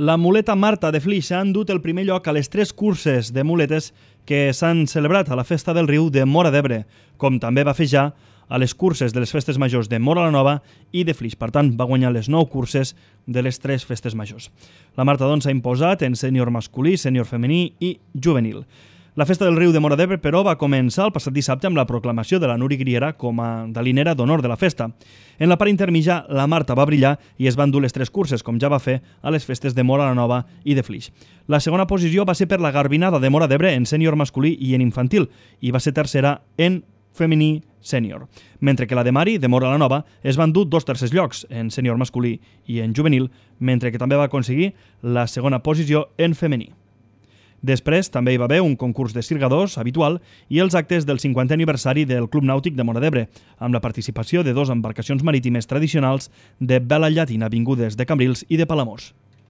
La muleta Marta de Flix ha endut el primer lloc a les 3 curses de muletes que s'han celebrat a la Festa del Riu de Móra d'Ebre, com també va fer ja a les curses de les festes majors de Móra la Nova i de Flix. Per tant, va guanyar les 9 curses de les 3 festes majors. La Marta, doncs, s'ha imposat en sènior masculí, sènior femení i juvenil. La Festa del Riu de Móra d'Ebre, però, va començar el passat dissabte amb la proclamació de la Nuri Griera com a dalinera d'honor de la festa. En la part intermitja, la Marta va brillar i es van dur les 3 curses, com ja va fer a les festes de Móra la Nova i de Flix. La segona posició va ser per la Garbinada de Móra d'Ebre en sènior masculí i en infantil, i va ser tercera en femení sènior. Mentre que la de Mari, de Móra la Nova, es van dur 2 tercers llocs, en sènior masculí i en juvenil, mentre que també va aconseguir la segona posició en femení. Després també hi va haver un concurs de sirgadors habitual i els actes del 50è aniversari del Club Nàutic de Móra d'Ebre, amb la participació de 2 embarcacions marítimes tradicionals de vela llatina vingudes de Cambrils i de Palamós.